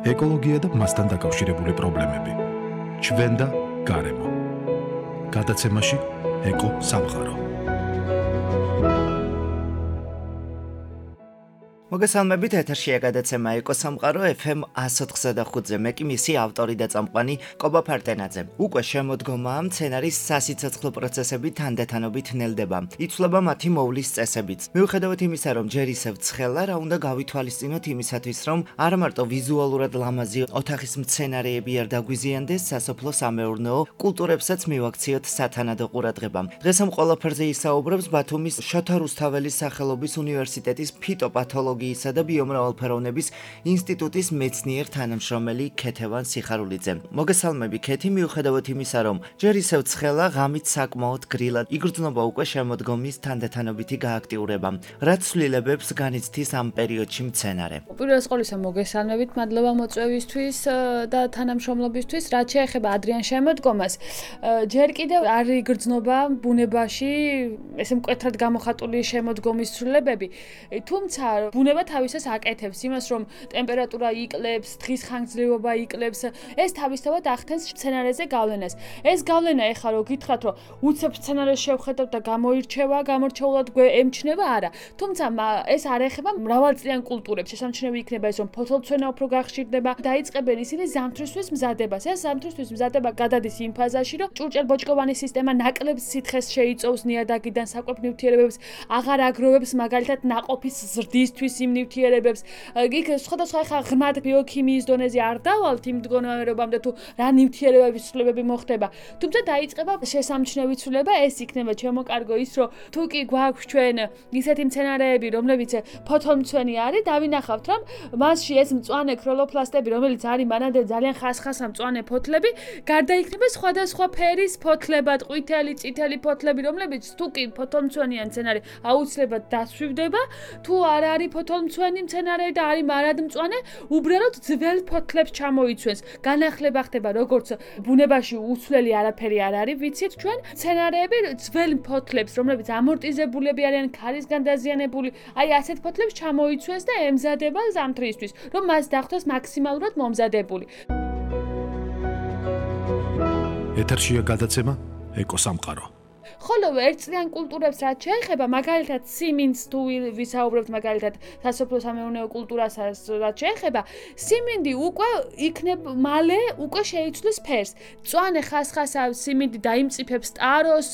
ეკოლოგია და მასთან დაკავშირებული პრობლემები. ჩვენ და გარემო. გადაცემაში ეკო სამყარო. მოგესალმებით, ეთერშია გადაცემა ეკო სამყარო FM 104.5-ზე. მე კი მისი ავტორი და წამყვანი კობა ფარტენაძე. უკვე შემოდგომაა მცენარის სასიცოცხლო პროცესები თანდათანობით ნელდება. იცვლება მათი მოვლის წესებიც. მიუხედავად იმისა, რომ ჯერ ისევ ცხელა, რა უნდა გავითვალისწინოთ იმისათვის, რომ არა მარტო ვიზუალურად ლამაზი ოთახის მცენარეები არ დაგვიზიანდეს, სასოფლო-სამეურნეო კულტურებსაც მივაქციოთ სათანადო ყურადღება. დღეს ამ ყველაფერზე ისაუბრებს ბათუმის შოთა რუსთაველის სახელობის უნივერსიტეტის ფიტოპათოლოგიის და ბიომრავალფეროვნების ინსტიტუტის მეცნიერ თანამშრომელი ქეთევან სიხარულიძე. მოგესალმები ქეთი, მიუხედავად იმისა, რომ ჯერ ისევ ცხელა, ღამით საკმაოდ გრილად იგრძნობა უკვე შემოდგომის თანდათანობითი გააქტიურება. რაც ცვლილებებს განიცდის ამ პერიოდში მცენარე? უპირველეს ყოვლისა მოგესალმებით, მადლობა მოწვევისთვის და თანამშრომლობისთვის. რაც შეეხება ადრიან შემოდგომას, ჯერ კიდევ არ იგრძნობა ბუნებაში ესე მკვეთრად გამოხატული შემოდგომის ცვლილებები, თუმცა ბუნება თავისას აკეთებს იმას, რომ ტემპერატურა იკლებს, დღის ხანგრძლივობა იკლებს, ეს თავისთავად ახდენს მცენარეზე გავლენას. ეს გავლენა ეხლა რო გითხრათ, რომ უცებ მცენარეს შევხედავთ და გამორჩეულად ემჩნევა, არა. თუმცა ეს არ ეხება მრავალწლიან კულტურებს. შესამჩნევი იქნება ეს, რომ ფოთოლცვენა უფრო გახშირდება, დაიწყებენ ისინი ზამთრისთვის მზადებას. ეს ზამთრისთვის მზადება გადადის იმ ფაზაში, რომ ჭურჭელ-ბოჭკოვანი სისტემა ნაკლებ სითხეს შეიწოვს ნიადაგიდან საკვებ ნივთიერებებს, აღარ აგროვებს მაგალითად ნაყოფის ზრდისთვის იმ ნივთიერებებს. იქ სხვადასხვა ხა ღრმად ბიოქიმიის დონეზე არ დავალთ იმ მდგომარეობამდე თუ რა ნივთიერებების ცვლილებები მოხდება. თუმცა დაიწყება შესამჩნევი ცვლილება, ეს იქნება ჩემო კარგო ის, რომ თუ კი გვაქვს ჩვენ ისეთი მცენარეები, რომლებიც ფოთოლმცვენი არის, დავინახავთ, რომ მასში ეს მწვანე ქროლოფლასტები, რომელიც არის მანამდე ძალიან ხასხასა მწვანე ფოთლები, გარდა იქნება სხვადასხვა ფერის ფოთლებად, ყვითელი, წითელი ფოთლები, რომლებიც თუ კი ფოთოლმცვენიან მცენარე აუცილებლად დასვივდება, თუ არ არის ფოთოლმცვენი მცენარე და არის მარადმწვანე, უბრალოდ ძველ ფოთლებს ჩამოიცვენს. განახლება ხდება როგორც ბუნებაში უცვლელი არაფერი არ არის, ვიცით ჩვენ, მცენარეები ძველ ფოთლებს, რომლებიც ამორტიზებულები არიან, ქარისგან დაზიანებული, აი ასეთ ფოთლებს ჩამოიცვენს და ემზადება ზამთრისთვის, რომ მას დახვდეს მაქსიმალურად მომზადებული. ეთერშია გადაცემა ეკო სამყარო. ხოლო ერთწლიან კულტურებს რაც შეეხება, მაგალითად სიმინდს თუ ვისაუბრებთ, მაგალითად სასოფლო-სამეურნეო კულტურასაც რაც შეეხება, სიმინდი უკვე მალე უკვე შეიცვლის ფერს. მწვანე ხასხასა სიმინდი დაიმწიფებს ტაროს,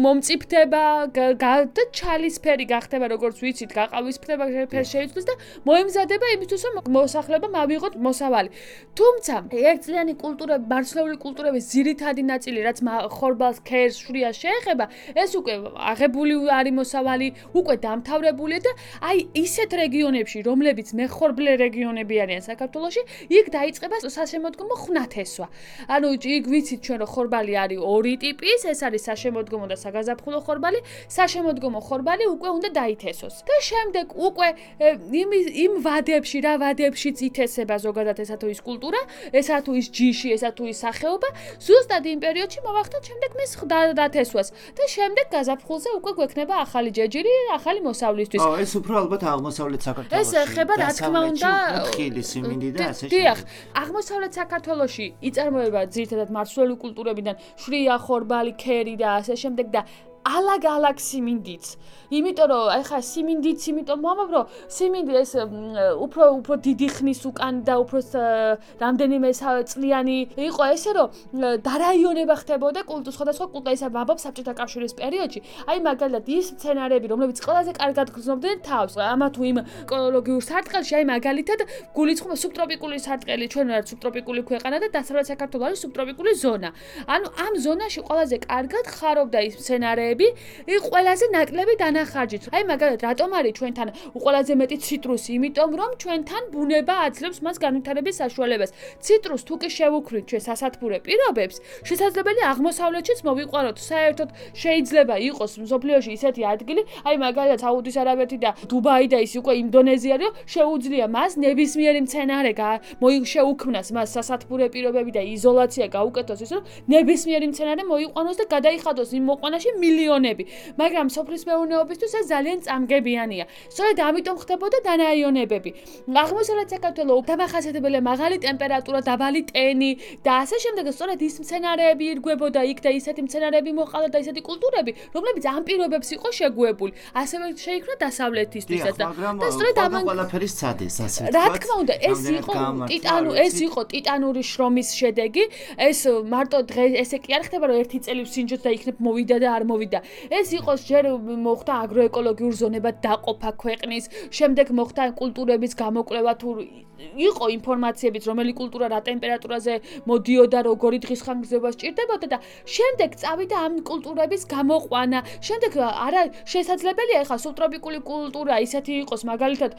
მომწიფდება და ჩალისფერი გახდება, როგორც ვიცით, გაყავისფრდება, ფერს შეიცვლის და მოემზადება იმისთვის, რომ მოსახლეობა ავიღოთ მოსავალი. თუმცა ერთწლიანი კულტურები, ბარცლეული კულტურების ძირითადი ნაწილი, რაც ხორბალს, ქერს, შვრიას ეხება, ეს უკვე აღებული არის მოსავალი, უკვე დამთავრებულია და აი ისეთ რეგიონებში, რომლებიც მეხორბლე რეგიონები არიან საქართველოში, იქ დაიწყება საშემოდგომო ხვნათესვა. ანუ იქ ვიცით ჩვენ, რომ ხორბალი არის ორი ტიპის, ეს არის საშემოდგომო და საგაზაფხულო ხორბალი. საშემოდგომო ხორბალი უკვე უნდა დაითესოს. და შემდეგ უკვე იმ ვადებში, რა ვადებშიც ითესება ზოგადად ესა თუ ის კულტურა, ესა თუ ის ჯიში, ესა თუ ის სახეობა, ზუსტად იმ პერიოდში მოვახდათ შემდეგ მის დათესვას. და შემდეგ გაზაფხულზე უკვე გვექნება ახალი ჯეჯირი, ახალი მოსავლისთვის. ეს უფრო ალბათ აღმოსავლეთ საქართველოში. ეს ეხება რა თქმა უნდა ხილი, სიმინდი და ასე შემდეგ. დიახ, აღმოსავლეთ საქართველოში იწარმოება ძირითადად მარცვლეული კულტურებიდან შვრია, ხორბალი, ქერი და ასე შემდეგ და ალაგ-ალაგ სიმინდიც. იმიტომ რომ ახლა სიმინდიც, იმიტომ მომავალ რომ სიმინდი ეს უფრო დიდი ხნის უკან და უფრო რამდენიმე წლიანი იყო ესე რომ დარაიონება ხდებოდა სხვადასხვა კულტურისა ვაბობ საბჭოთა კავშირის პერიოდში. აი მაგალითად ის მცენარეები, რომლებიც ყველაზე კარგად გრძნობდნენ თავს, ამა თუ იმ ეკოლოგიურ სარტყელში, აი მაგალითად გულისხმობა სუბტროპიკული სარტყელი, ჩვენ ვართ სუბტროპიკული ქვეყანა და დასავლეთ საქართველოს არის სუბტროპიკული ზონა. ანუ ამ ზონაში ყველაზე კარგად ხარობდა ის მცენარეები, ყველაზე ნაკლები დანახარჯით. აი მაგალითად რატომ არის ჩვენთან ყველაზე მეტი ციტრუსი? იმიტომ რომ ჩვენთან ბუნება აძლევს მას განვითარების საშუალებას. ციტრუს თუ კი შევუქმნით ჩვენ სასათბურე პირობებს, შესაძლებელია აღმოსავლეთშიც მოვიყვანოთ. საერთოდ შეიძლება იყოს მსოფლიოში ისეთი ადგილი, აი მაგალითად საუდის არაბეთი და დუბაი და ის უკვე ინდონეზია, რომ შეუძლია მას ნებისმიერი მცენარე შეუქმნას მას სასათბურე პირობები და იზოლაცია გაუკეთოს, ის რომ ნებისმიერი მცენარე მოიყვანოს და გადაიხადოს იმ მოყვანაში მილიონები, მაგრამ სოფლის მეურნეობისთვის ეს ძალიან წამგებიანია. სწორედ ამიტომ ხდებოდა დანაიონებები. აღმოსავლეთ საქართველოს დამახასიათებელია მაღალი ტემპერატურა, დაბალი ტენი და ასე შემდეგ. სწორედ ის მცენარეები ირგვებოდა იქ და ისეთი მცენარეები მოყავდა და ისეთი კულტურები, რომლებიც ამ პირობებს იყო შეგუებული. ასევე შეიქმნა დასავლეთისთვისაც და სწორედ ამან ყველაფერი სცადეს, ასე ვთქვათ. რა თქმა უნდა, ეს იყო ტიტანური შრომის შედეგი. ეს მარტო დღე ესე კი არ ხდება, რომ ერთი წელი ვსინჯოთ და იქნებ მოვიდა და არ მოვიდა. ეს იყოს ჯერ მოხდა აგროეკოლოგიურ ზონებად დაყოფა ქვეყნის, შემდეგ მოხდა კულტურების გამოკვლევა თუ იყო ინფორმაციებიც, რომელი კულტურა რა ტემპერატურაზე მოდიოდა, როგორი დღის ხანგრძლივობა სჭირდებოდა და შემდეგ წავიდა ამ კულტურების გამოყვანა. შემდეგ არა შესაძლებელია ახლა სუბტროპიკული კულტურა ისეთი იყოს, მაგალითად,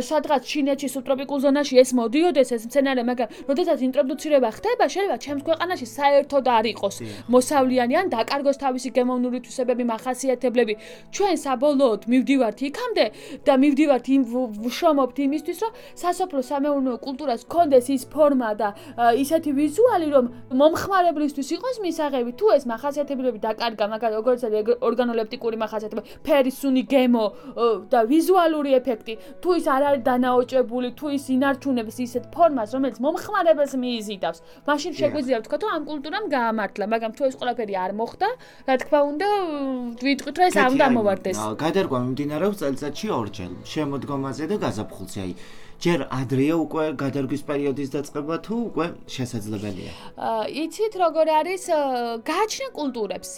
სადღაც ჩინეთში სუბტროპიკულ ზონაში ეს მოდიოდეს ეს მცენარე, მაგრამ როდესაც ინტროდუცირება ხდება, შეიძლება ჩემს ქვეყანაში საერთოდ არ იყოს მოსავლიანი ან დაკარგოს თავისი გემოვნური თვისებები, მახასიათებლები. ჩვენ საბოლოოდ მივდივართ იქამდე და მივდივართ ვშრომობთ იმისთვის, რომ სასოფლო სამეურნეო კულტურას ჰქონდეს ის ფორმა და ისეთი ვიზუალი, რომ მომხმარებლისთვის იყოს მისაღები. თუ ეს მახასიათებლები დაკარგა, მაგალითად, როგორც არის ორგანოლეპტიკური მახასიათებლები, ფერი, სუნი, გემო და ვიზუალური ეფექტი, თუ ის არ არის დანაოჭებული, თუ ის ინარჩუნებს ისეთ ფორმას, რომელიც მომხმარებელს მიიზიდავს, მაშინ შეგვიძლია ვთქვათ, რომ ამ კულტურამ გაამართლა, მაგრამ თუ ეს ყველაფერი არ მოხდა, რა თქმა უნდა, ვიტყვით, რომ ეს არ უნდა მოვარდეს. გადარგვა მიმდინარეობს წელიწადში ორჯერ, შემოდგომაზე და გაზაფხულზე. აი, ჯერ ადრეა უკვე გადარგვის პერიოდის დაწყება თუ უკვე შესაძლებელია? იცით როგორ არის გააჩნია კულტურებს.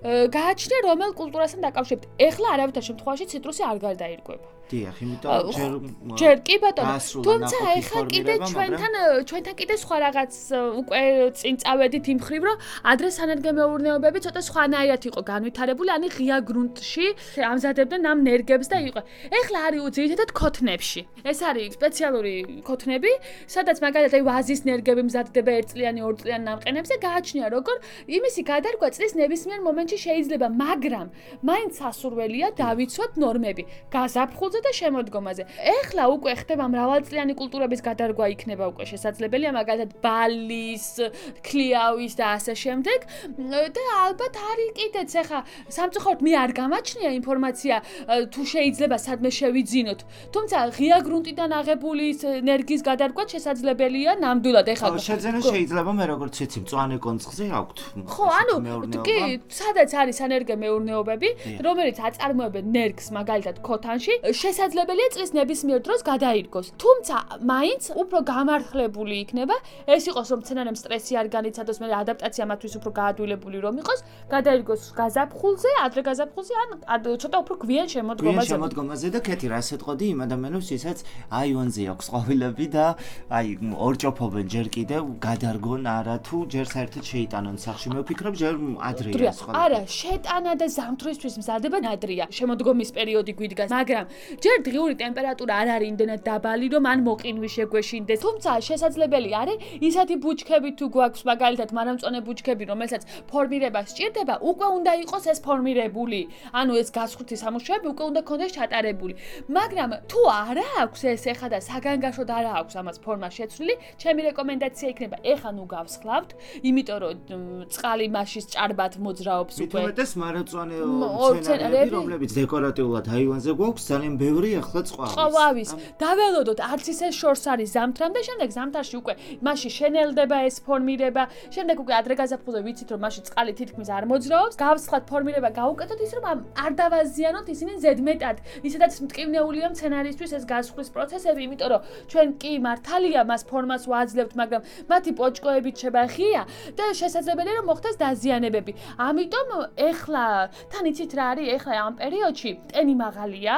გააჩნია რომელ კულტურასთან დაკავშირებით. ეხლა არავითარ შემთხვევაში ციტრუსი არ გარდაირგვება. დიახ, იმიტომ ჯერ კი ბატონო, თუმცა ეხლა კიდე ჩვენთან კიდე სხვა რაღაც უკვე წინ წავედით იმ ხრივ, რომ ადრე სანადგომეურნეობები ცოტა სხვანაირად იყო განვითარებული, ანუ ღია გრუნტში ამზადებდნენ ამ ნერგებს და იყო. ეხლა არის ძირითადად ქოთნებში. ეს არის სპეციალური ქოთნები, სადაც მაგალითად ვაზის ნერგები მზადდება ერთწლიანი, ორწლიანი ნამყენებზე, გააჩნია როგორ იმისი გადარგვა წლის ნებისმიერ მომენტში შეიძლება, მაგრამ მაინც სასურველია დავიცვათ ნორმები. გაზაფხულზე და შემოდგომაზე. ეხლა უკვე ხდება მრავალწლიანი კულტურების გადარგვა იქნება უკვე შესაძლებელია, მაგალითად ბალის, ქლიავის და ასე შემდეგ. და ალბათ არის კიდეც ეხლა სამწუხაროდ მე არ გამაჩნია ინფორმაცია თუ შეიძლება სადმე შევიძინოთ. თუმცა ღია გრუნტიდან აღებული ენერგიის გადარგვა შესაძლებელია ნამდვილად ეხლა. შეძენა შეიძლება მე როგორც ვიცი, მწვანე კონცხზე აქვთ. ხო, ანუ კი, სადაც არის სანერგომეურნეობები, რომელიც აწარმოებენ ნერგს მაგალითად ქოთანში, შესაძლებელია წლის ნებისმიერ დროს გადაირგოს. თუმცა მაინც უფრო გამართლებული იქნება, ეს იყოს რომ მცენარემ სტრესი არ განიცადოს, მე ადაპტაცია მათთვის უფრო გაადვილებული რომ იყოს, გადაირგოს გაზაფხულზე, ადრე გაზაფხულზე ან ცოტა უფრო გვიან შემოდგომაზე. შემოდგომაზე და კეთი რა სეტყოდი იმ ადამიანებს, ვისაც აივანზე აქვს ყვავილები და აი ორჭოფობენ ჯერ კიდევ გადარგონ არა თუ ჯერ საერთოდ შეიტანონ სახში. მე ვფიქრობ ჯერ ადრეა სხვა. არა, შეტანა და ზამთრისთვის მზადება ადრეა. შემოდგომის პერიოდი გვიდგას, მაგრამ ჯერ დღიური ტემპერატურა არ არის იმდენად დაბალი, რომ ან მოყინვი შეგვეშინდეს. თუმცა შესაძლებელი არის ისეთი ბუჩქები თუ გვაქვს, მაგალითად, მარამწვანე ბუჩქები, რომელსაც ფორმირება სჭირდება, უკვე უნდა იყოს ეს ფორმირებული. ანუ ეს გასხვრთი სამუშაოები უკვე უნდა ქონდეს ჩატარებული. მაგრამ თუ არა აქვს ეს ეხა და საგანგაშოდ არ აქვს ამას ფორმა შეცვლილი, ჩემი რეკომენდაცია იქნება, ეხა ნუ გავსხლავთ, იმიტომ რომ წყალი მასში ჭარბად მოძრაობს უკვე. მithumetes მარამწვანე მცენარეები, რომლებიც დეკორატიულად აივანზე გვაქვს, ძალიან ბევრი ახლა ყვავის. დაველოდოთ, არც ისე შორს არის ზამთრამდე, შემდეგ ზამთარში უკვე მასში შენელდება ეს ფორმირება, შემდეგ უკვე ადრე გაზაფხულზე ვიცით, რომ მასში წყალი თითქმის არ მოძრაობს, გავსხლათ ფორმირება გავუკეთოთ ის, რომ არ დავაზიანოთ ისინი ზედმეტად. ისედაც მტკივნეულია მცენარისთვის ეს გასხლის პროცესები, იმიტომ რომ ჩვენ კი მართალია მას ფორმას ვაძლევთ, მაგრამ მათი პოჭკოებით შებახია და შესაძლებელია რომ მოხდეს დაზიანებები. ამიტომ ეხლა თან იცით რა არის ეხლა ამ პერიოდში ტენი მაღალია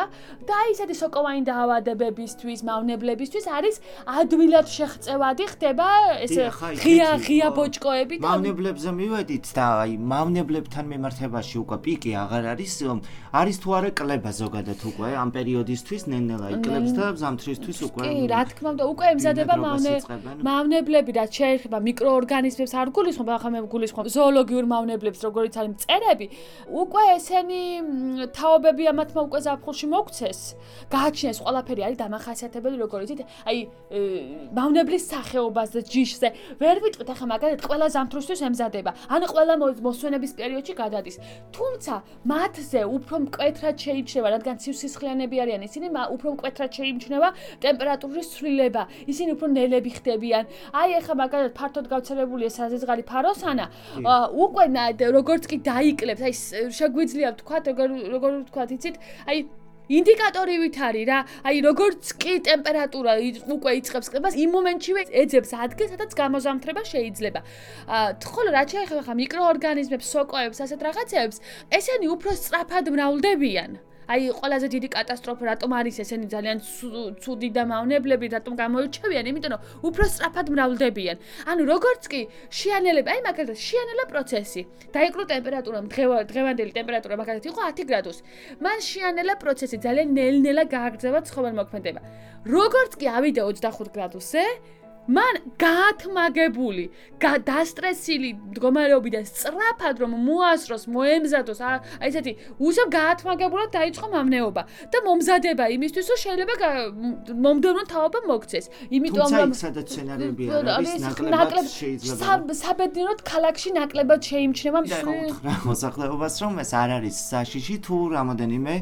და ისეთი სოკოვანი დაავადებებისთვის, მავნებლებისთვის არის ადვილად შეღწევადი ხდება ეს ღია ბოჭკოები და მავნებლებზე მივედით და აი მავნებლებთან მიმართებაში უკვე პიკი აღარ არის თუ არა კლება ზოგადად უკვე ამ პერიოდისთვის ნელ-ნელა იკლებს და ზამთრისთვის უკვე კი, რა თქმა უნდა, უკვე ემზადება მავნებლები, რაც შეეხება მიკროორგანიზმებს არ გულისხმობ, ახლა მე გულისხმობ ზოოლოგიურ მავნებლებს, როგორიც არის მწერები, უკვე ესენი თაობები ამათმა უკვე ზაფხულში მოგცეს გააჩნიეს ყველაფერი არის დამახასიათებელი როგორ იცით აი მავნებლის სახეობაზე ჯიშზე ვერ ვიტყვით ახლა მაგალითად ყველა ზამთრისთვის ემზადება ან ყველა მოსვენების პერიოდში გადადის თუმცა მათზე უფრო მკვეთრად შეიმჩნევა რადგან ცივსისხლიანები არიან ისინი უფრო მკვეთრად შეიმჩნევა ტემპერატურის ცვლილება ისინი უფრო ნელები ხდებიან აი ახლა მაგალითად ფართოდ გავრცელებულია საზღარი ფაროსანა უკვე როგორც კი დაიკლებს აი შეგვიძლია ვთქვათ როგორ ვთქვათ იცით აი ინდიკატორივით არის რა აი როგორც კი ტემპერატურა უკვე იწყებს კლებას იმ მომენტშივე ეძებს ადგილს სადაც გამოზამთრება შეიძლება ხოლო რაც შეეხება მიკროორგანიზმებს სოკოებს ასეთ რაღაცებს ესენი უფრო სწრაფად მრავლდებიან აი ყველაზე დიდი კატასტროფა რატომ არის ესენი ძალიან ცუდი და მავნებლები რატომ გამოირჩევიან იმიტომ რომ უფრო სწრაფად მრავლდებიან ანუ როგორც კი შიანელება აი მაგალითად შიანელა პროცესი დაიკრო ტემპერატურა დღევანდელი ტემპერატურა მაგალითად იყო 10 გრადუსი მან შიანელა პროცესი ძალიან ნელ-ნელა გააგრძელა ცხოველმოქმედება როგორც კი ავიდა 25 გრადუსზე მან გაათმაგებული, დასტრესილი მდგომარეობიდან სწრაფად რომ მოასწროს, მოემზადოს, აი ესეთი უსამ გაათმაგებულად დაიწყო მავნეობა და მომზადება იმისთვის, რომ შეიძლება მომდევნო თაობა მოქცეს. იმიტომ რომ სადაც სცენარები არის, ნაკლებად შეიძლება საბედნიეროდ ქალაქში ნაკლებად შეიმჩნევა მისვრა მოსახლეობას, რომ ეს არ არის საშიში თუ რამოდენიმე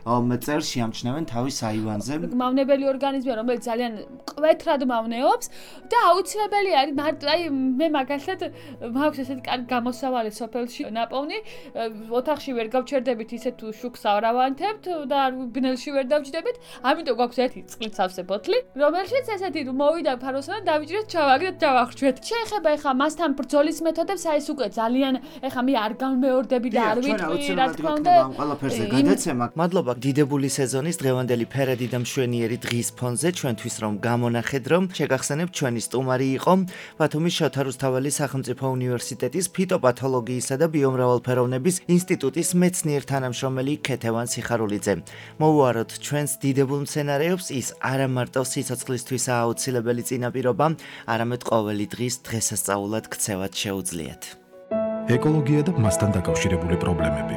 წელს შეამჩნევენ თავის აივანზე. მავნებელი ორგანიზმია, რომელიც ძალიან მკვეთრად მავნეობს და აუცილებელი არის აი მე მაგალითად მაქვს ესეთი კარგი გამოსავალი სოფელში ნაპოვნი ოთახში ვერ გავჩერდებით ისე თუ შუქს არავანთებთ და ბნელში ვერ დავჭდებით ამიტომ გვაქვს ერთი წყლის სავსე ბოთლი რომელშიც ესეთი მოვიდა ფაროსანა დავიჭრეთ ჩავაგდეთ და დავახრჩვეთ შეეხება ეხა მასთან ბრძოლის მეთოდებს აი ეს უკვე ძალიან ეხა მე არ გამეორდები და არ ვიტყვი რა თქმა უნდა ამ ყველაფერზე გადაცემა მადლობა დიდებული სეზონის დღევანდელი ფერადი და მშვენიერი დღის ფონზე ჩვენთვის რომ გამონახეთ რომ შეგახსენებთ ჩვენი სტუმარი იყო ბათუმის შოთა რუსთაველის სახელმწიფო უნივერსიტეტის ფიტოპათოლოგიისა და ბიომრავალფეროვნების ინსტიტუტის მეცნიერ თანამშრომელი ქეთევან სიხარულიძე. მოვუაროთ ჩვენს დიდებულ მცენარეებს ის არა მარტო სიცოცხლისთვისაა აუცილებელი წინაპირობა, არამედ ყოველი დღის დღესასწაულად ქცევად შეუძლიათ. ეკოლოგია და მასთან დაკავშირებული პრობლემები.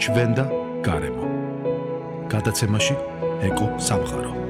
ჩვენ და გარემო. გადაცემაში ეკო სამყარო.